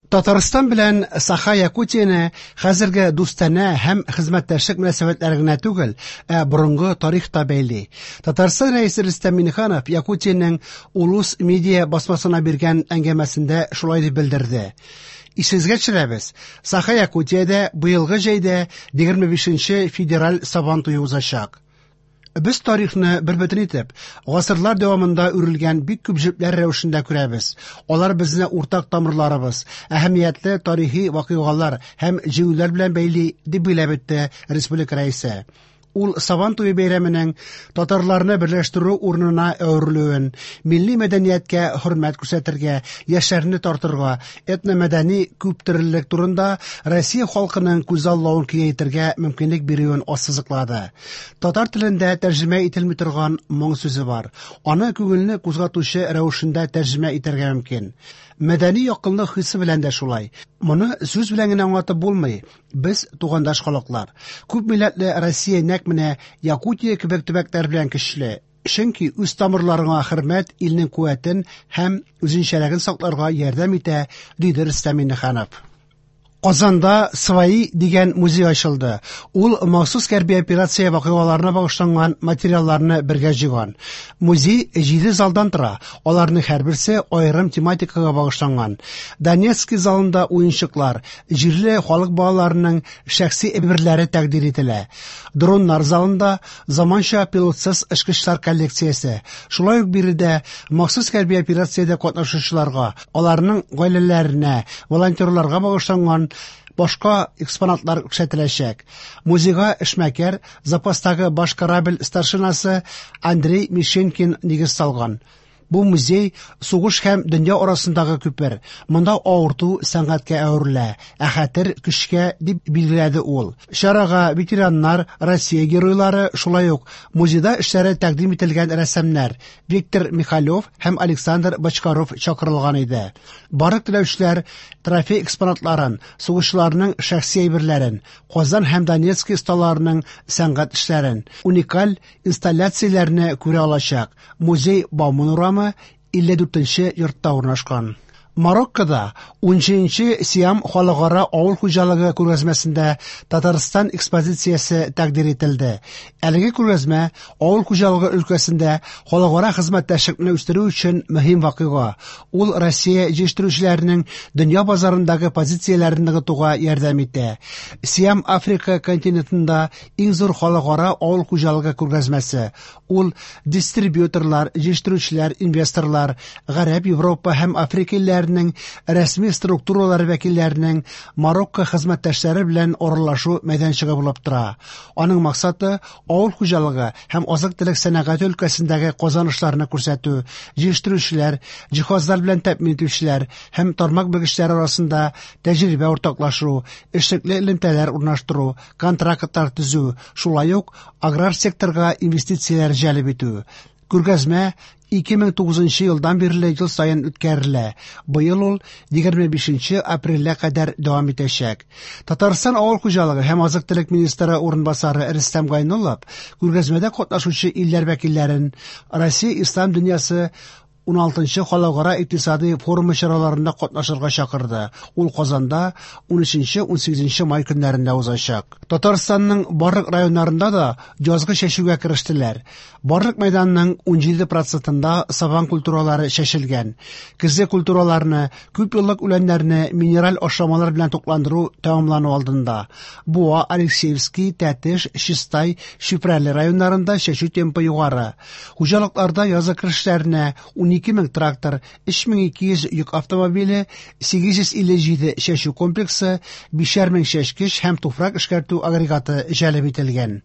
Татарстан белән Саха-Якутияне хәзерге дустанә һәм хезмәттәшлек мөнәсәбәтләре генә түгел, ә борынгы тарих та бәйли. Татарстан Рәисе Рөстәм Миңнеханов Якутиянең Улус медиа басмасына биргән әңгәмәсендә шулай дип белдерде. Исегезгә төшерәбез, Саха-Якутиядә быелгы җәйдә 25 нче федераль Сабан туе узачак. Без тарихны бер бөтен итеп, гасырлар дәвамында үрелгән бик күп җепләр рәвешендә күрәбез. Алар безне уртак тамырларыбыз, әһәмиятле тарихи вакыйгалар һәм җиңүләр белән бәйли, дип билгеләп үтте республика Рәисе. Ул Сабан туе бәйрәменең татарларны берләштерү урынына әверелүен, милли мәдәнияткә хөрмәт күрсәтергә, яшьләрне тартырга, этномәдәни күптөрлелек турында Россия халкының күзаллавын киңәйтергә мөмкинлек бирүен ассызыклады. Татар телендә тәрҗемә ителми торган моң сүзе бар. Аны күңелне кузгатучы рәвешендә тәрҗемә итәргә мөмкин. Мәдәни якынлык хисе белән дә шулай. Моны сүз белән генә аңлатып булмый. Без тугандаш халыклар. Күп милләтле Россия нәкъ менә Якутия кебек төбәкләр белән көчле. Чөнки үз тамырларыңа хөрмәт илнең куәтен һәм үзенчәлеген сакларга ярдәм итә, диде Рөстәм Миңнеханов. Казанда «Свои» дигән музей ачылды. Ул махсус хәрби операция вакыйгаларына багышланган материалларны бергә җыйган. Музей җиде залдан тора, аларның һәрберсе аерым тематикага багышланган. Донецкий залында уенчыклар, җирле халык балаларының шәхси әйберләре тәкъдир ителә. Дроннар залында заманча пилотсыз очкычлар коллекциясе. Шулай ук биредә махсус хәрби операциядә катнашучыларга, аларның гаиләләренә, волонтерларга багышланган башка экспонатлар күрсәтеләчәк. Музейга эшмәкәр, запастагы баш корабль старшинасы Андрей Мишенкин нигез салган. Бу музей сугыш һәм дөнья арасындагы күпер. Монда авырту сәнгатькә әверелә, ә хәтер көчкә, дип билгеләде ул. Чарага ветераннар, Россия геройлары, шулай ук музейда эшләре тәкъдим ителгән рәссамнар Виктор Михалев һәм Александр Бочкаров чакырылган иде. Барлык теләүчеләр трофей экспонатларын, сугышчыларның шәхси әйберләрен, Казан һәм Донецк осталарының сәнгать эшләрен, уникаль инсталляцияләрне күрә алачак. Музей Бауман урамы 54 нче йортта урнашкан. Мароккода 17нче Сиам халыкара авыл хуҗалыгы күргәзмәсендә Татарстан экспозициясе тәкъдир ителде. Әлеге күргәзмә авыл хуҗалыгы өлкәсендә халыкара хезмәттәшлекне үстерү өчен мөһим вакыйга. Ул Россия җитештерүчеләренең дөнья базарындагы позицияләрен ныгытуга ярдәм итә. Сиам Африка континентында иң зур халыкара авыл хуҗалыгы күргәзмәсе. Ул дистрибьюторлар, җитештерүчеләр, инвесторлар, Гарәп, Европа һәм Африка илләренең рәсми структуралары вәкилләренең Марокко хезмәттәшләре белән аралашу мәйданчыгы булып тора. Аның максаты авыл хуҗалыгы һәм азык-төлек сәнәгате өлкәсендәге казанышларны күрсәтү, җитештерүчеләр, җиһазлар белән тәэмин итүчеләр һәм тармак белгечләре арасында тәҗрибә уртаклашу, эшлекле элемтәләр урнаштыру, контрактлар төзү, шулай ук аграр секторга инвестицияләр җәлеп итү. Күргәзмә 2009 елдан бирле ел саен үткәрелә. Быел ул 25 апрельгә кадәр дәвам итәчәк. Татарстан авыл хуҗалыгы һәм азык-төлек министры урынбасары Рөстәм Гайнуллов күргәзмәдә катнашучы илләр вәкилләрен Россия ислам дөньясы 16нчы халыкара икътисади форумы чараларында катнашырга чакырды. Ул Казанда 13-18 май көннәрендә узачак. Татарстанның барлык районнарында да язгы чәчүгә керештеләр. Барлык мәйданның 17 процентында сабан культуралары чәчелгән. Көзге культураларны, күпьеллык үләннәрне минераль ашламалар белән тукландыру тәмамлану алдында. Буа, Алексеевский, Тәтеш, Чистай, Чүпрәле районнарында чәчү темпы югары. Хуҗалыкларда язгы керешләренә 12 мең трактор, 3200 йөк автомобиле, 857 чәчү комплексы, 5 мең чәчкеч һәм туфрак эшкәртү агрегаты җәлеп ителгән.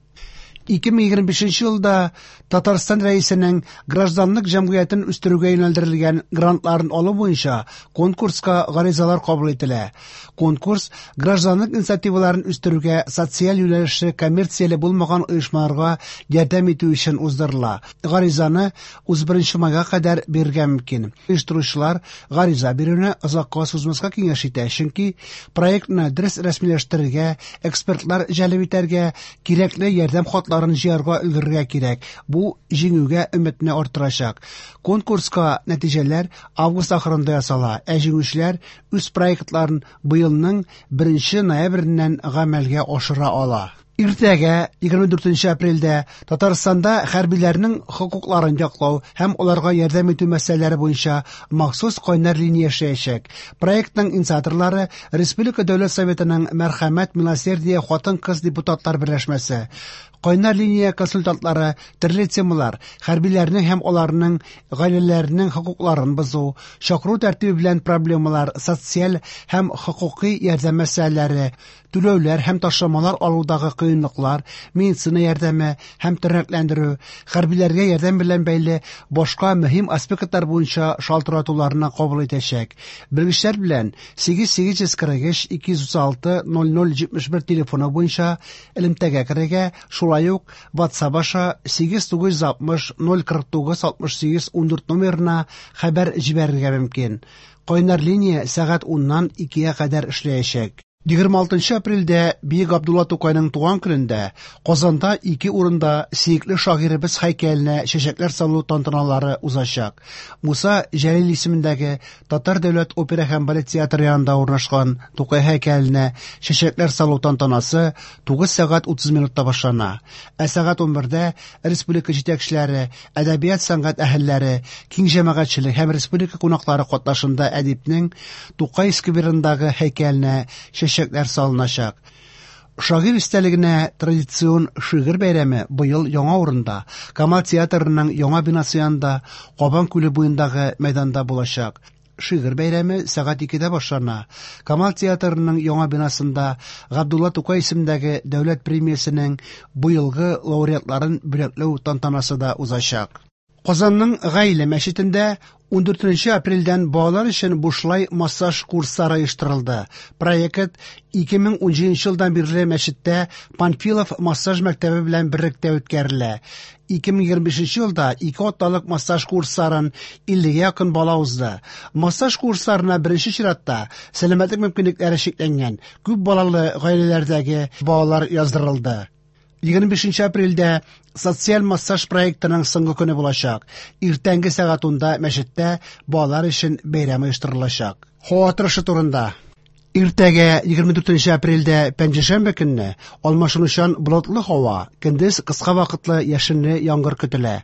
2025 елда Татарстан Рәисенең гражданлык җәмгыятен үстерүгә юнәлдерелгән грантларын алу буенча конкурска гаризалар кабул ителә. Конкурс гражданлык инициативаларын үстерүгә социаль юнәлешле коммерцияле булмаган оешмаларга ярдәм итү өчен уздырыла. Гаризаны 31 майга кадәр бирергә мөмкин. Оештыручылар гариза бирүне озакка сузмаска киңәш итә, чөнки проектны дөрес рәсмиләштерергә, экспертлар җәлеп итәргә, кирәкле ярдәм хатлары проектларын җыярга өлгерергә кирәк, бу җиңүгә өметне арттырачак. Конкурска нәтиҗәләр август ахырында ясала, ә җиңүчеләр үз проектларын быелның 1 ноябреннән гамәлгә ашыра ала. Иртәгә, 24 апрельдә, Татарстанда хәрбиләрнең хокукларын яклау һәм аларга ярдәм итү мәсьәләләре буенча махсус кайнар линия эшләячәк. Проектның инициаторлары Республика Дәүләт Советының Мәрхәмәт Милосердие хатын-кыз депутатлар берләшмәсе. Кайнар линия консультантлары төрле темалар, хәрбиләрнең һәм аларның гаиләләренең хокукларын бозу, чакыру тәртибе белән проблемалар, социаль һәм хокукый ярдәм мәсьәләләре, түләүләр һәм ташламалар алудагы кыенлыклар, медицина ярдәме һәм тернәкләндерү, хәрбиләргә ярдәм белән бәйле башка мөһим аспектлар буенча шалтыратуларны кабул итәчәк. Белгечләр белән 8843 236 0071 телефоны буенча элемтәгә керергә, шулай ук WhatsApp аша 8960 049 68 14 номерына хәбәр җибәрергә мөмкин. Кайнар линия сәгать 10-нан 2-гә кадәр эшләячәк. 26 апрельдә Бөек Габдулла Тукайның туган көнендә Казанда ике урында сөекле шагыйребез һәйкәленә чәчәкләр салу тантаналары узачак. Муса Җәлил исемендәге Татар дәүләт опера һәм балет театры янында урнашкан Тукай һәйкәленә чәчәкләр салу тантанасы 9 сәгать 30 минутта башлана. Ә сәгать 11-дә республика җитәкчеләре, әдәбият сәнгать әһелләре, киң җәмәгатьчелек һәм республика кунаклары катнашында әдипнең Тукай скверындагы һәйкәленә чәчәкләр салыначак. Шагыйрь истәлегенә традицион шигырь бәйрәме быел яңа урында, Камал театрының яңа бинасы янында, Кабан күле буендагы мәйданда булачак. Шигырь бәйрәме сәгать 2-дә башлана. Камал театрының яңа бинасында Габдулла Тукай исемендәге дәүләт премиясенең быелгы лауреатларын бүләкләү тантанасы да узачак. Казанның Гаилә мәчетендә 14 апрельдән балалар өчен бушлай массаж курслары оештырылды. Проект 2017 елдан бирле мәчеттә Панфилов массаж мәктәбе белән берлектә үткәрелә. 2025 елда ике атналык массаж курсларын 50 якын бала узды. Массаж курсларына беренче чиратта сәламәтлек мөмкинлекләре чикләнгән күп балалы гаиләләрдәге балалар яздырылды. 25 апрельдә социаль массаж проектының соңгы көне булачак. Иртәнге сәгать 10-да мәчеттә балалар өчен бәйрәм оештырылачак. Һава торышы турында. Иртәгә 24 апрельдә пәнҗешәмбе көнне алмашынучан болытлы һава, көндез кыска вакытлы яшенле яңгыр көтелә.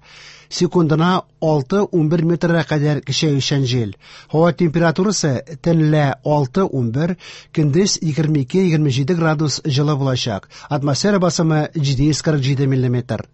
Секундына 6-11 метрга кадәр көчәючән җил. Һава температурасы төнлә 6-11, көндез 22-27 градус җылы булачак. Атмосфера басымы 747 миллиметр.